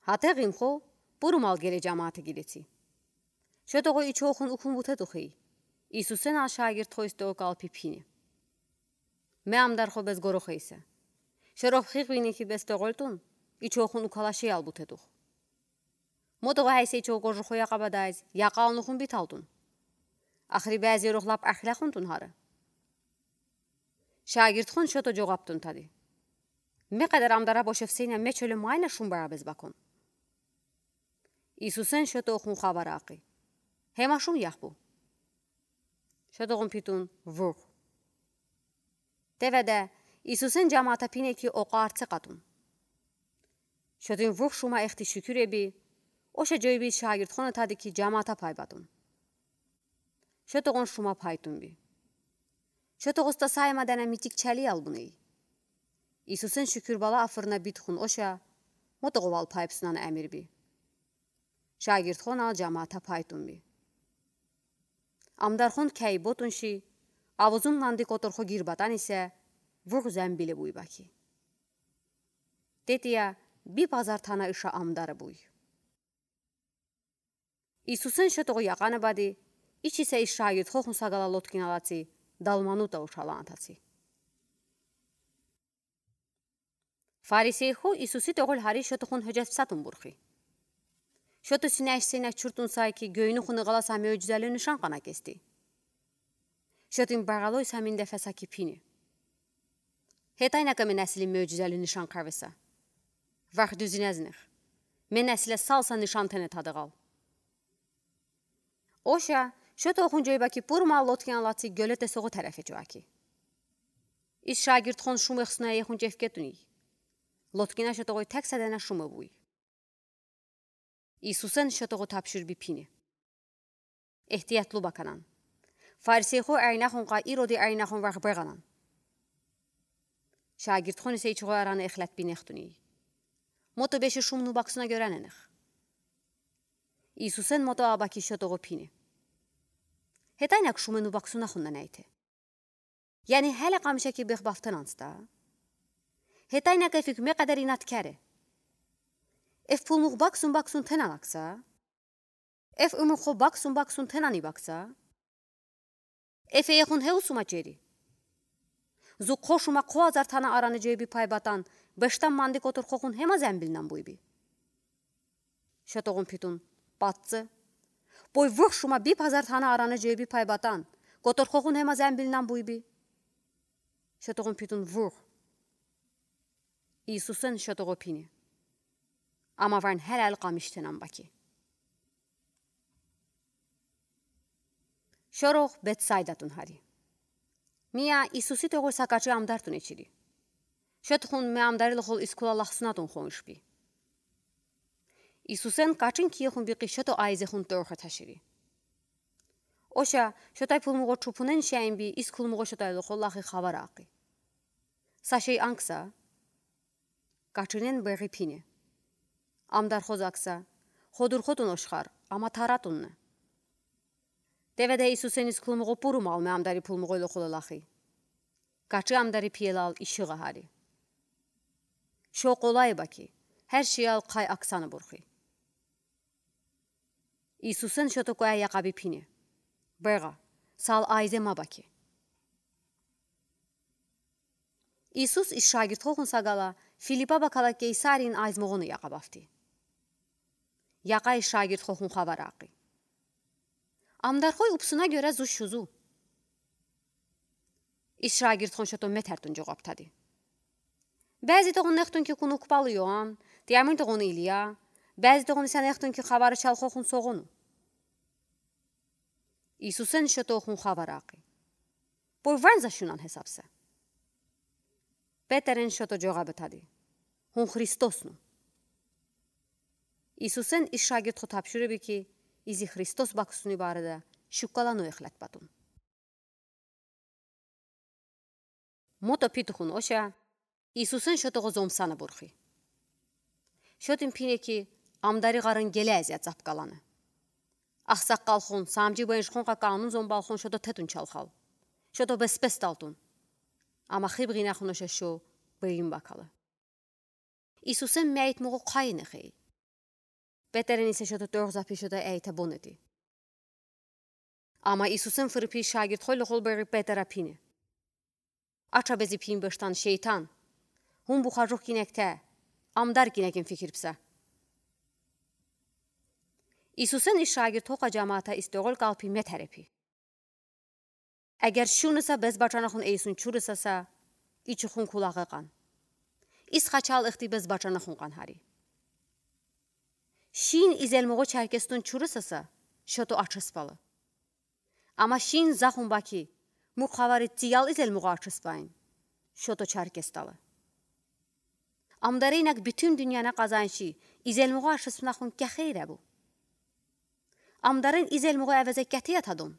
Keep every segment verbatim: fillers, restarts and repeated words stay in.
Гьатеғ им хо пурумал геле жамаата гидеци. Шотоғу ичохун укун бутедух ий. Исусен ал шагирдхойс тоокал пипине. Ме амдархо бес горохейсе. Шеров хигвини ки бес тоғолтун, ичохун укалаши ал бутедух. Мотоға хайсе ичо гожухо яқабадайз, яқалнухун биталтун. Ахри бәз ерох лап ахлахунтун хары. Шагирдхон шото жоғаптун тади. Ме қадар амдара бошевсейна ме чоле майна шумбара бес бакон. Исусен шотохун хавар ақи. Хема шум яхбу. Шотоғун питун вух. Теведе Исусен жамаата пине ки оқа арце қатун. Шотин вух шума эхти шукур эби, оша жойби шагирдхона тади ки жамаата пайбатун. Шотоғун шума пайтунби. Шотоғуста сайма дана митик чали албуней. Исусен шукур бала афырна битхун оша, мотоғувал пайпсунан амирби. Шагирдхон ал жамаата пайтунби. Амдархон кәй ботунши, авузун манди которхо гирбатан исе, вух зәмбиле буйбаки. Тетия би пазар тана иша амдары буй. Исусен шотоғу яқаны бади, ичисе ис шагирдхохун сагала лодкина лаци, Далманута ушалан таси. Фарисейхо Исуси тоғол хари шотохун хӧжетсатун бурхи. Шото синәш сенәк чуртун сайки гӧйнухуны ғаласа мӧжзәлі нишан қана кести. Шотин бағалой самин дефеса ки пине. Хетайнака ме нәсили мӧжзәлі нишан қарвеса. Вах дүзинәзнех. Ме нәсиле салса нишан тене тадығал. Оша шотохун жойбаки пурма лодкина лаци гӧлете соғу тәрәфе чуаки. Ис шагирдхон шумехсуна ехун чевкетуни. Лодкина шотоғой тәк сәдәнә шумы буй. Исусен шотоғу тапшурби пине. Эхтиятлу баканан. Фарисейхо айнахун қа Ироди айнахун вах беғанан. Шагирдхон исе ичоғой араны эхләтпинехтуни. Мото беші шумну баксуна гӧрәненех. Исусен мото абаки шотоғу пине. Хетайнак шумену баксунахунна нәйте. Яни хәле қамшаки бех бафтананста. Хетайнак эфик ме қадар инат кәре. Эф пулмух баксун-баксун тенанакса. Эф умухо баксун-баксун тенани бакса. Эф ехун хеусума чери. Зу қошума қо азар тана араны жойби пайбатан, бештан манди котор хохун хема зәмбилнан буйби. Шотоғун питун, патцы. Пой вух шума би пазар тана араны жойби пайбатан, котор хохун хема зәмбилнан буйби. Шотоғун питун вух. Исусен шотоғу пине. Ама варн хәләл қамиштенан баки. Шорох Бетсайдатун хари. Мия Исуси тоғуса качи амдартун ечири. Шотхун ме амдарил хол искула лахсунатун хоншпи. Исусен качин киехун бики шото айзехун торха ташири. Оша шотай пулмуғо чупунен шайынби искулмуғо шотай лохо лахи хавар ақи. Сашей ангса, качинен бери пине. Амдар хозакса, ходур хотун ошхар, ама таратунны. Теведе Исусен искулмуғо пурумал ме амдари пулмуғо лохо лахи. Качи амдари пиелал ишиға хари. Шо қолай баки, хәр шиял қай аксаны бурхи. Исусен шото куә яқаби пине. Беға, сал айзема баки. Исус ис шагирт хохун сагала Филиппа бакала Кейсарин айзмоғону яқабафти. Яқа ис шагирт хохун хавар ақи. Амдар хой упсуна гӧрә зу шузу. Ис шагирт хон шото метәртун жоғаптади. Бәзи тоғын нехтун ки куну купалы Йоан, тиямын тоғын Илия, бәзи тоғын иса нехтун ки хавары шал хохун соғону. Исусен шото хун хавар ақи. Пой ванза шунан хесапса. Петерен шото жоғабы тади. Хун Христосну. Исусен ис шагирт хо тапшури бики, изи Христос баксуни барыда шуккалану эхләт батун. Мото питухун оша, Исусен шотоғо зомсаны бурхи. Шотин пине ки, амдари ғарын геле әзия цапкаланы. Ахсаққал хон, самджи бенш хон қа канун зомбал хон шото тетун чалхал. Шото беспес талтун. Ама хиб ғина хон оша шо бейин бакалы. Исусен мәйт муғу қайны хей. Петерен исе шото торгзапи шото эйтебонети. Ама Иисусэн фырпи шагирдхойлы холбери Петера пине: Ача бези пин бештан, шейтан! Ум бухажух гинекте, амдар гинекин фикирбса. Иисусэн и шагирдхоха жамаата исторол калпи метерепи. Эгер шунуса бес бачанахун эйсун чурысаса, ичухун кулаг кан. Ис хачал ихти бес бачанахун кан хари. Шин изелмугу чаркестун чурысаса, шото ачыс балы. Ама шин захун баки, мук хавари циял изелмугу ачыс байна, шото чаркес далы. Амдары инаг бютюн дуняна казанши, изелмугу ачыс бынахун кехейре бу. Амдарын изелмугу эвезе кети ятадон.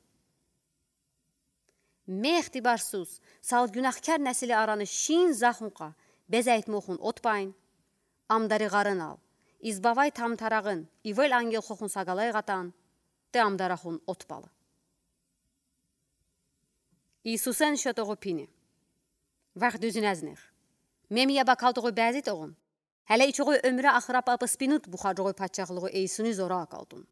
Мехти барсус, сал гюнахкер несили араны шин захунха безайтмохун отбайн. Амдары гарынал, избавай тамтарагын, ивел ангелхохун сагалай гатан, тэ амдарахун отбалы. Иисусэн шотогу пине. Вах дюзюнэзнех. Мемия бакалтогу бязитогун. Хеле ичогу өмра ахрап апыспинут бухаджогу патчахлыгу эйсуни зора акалтун.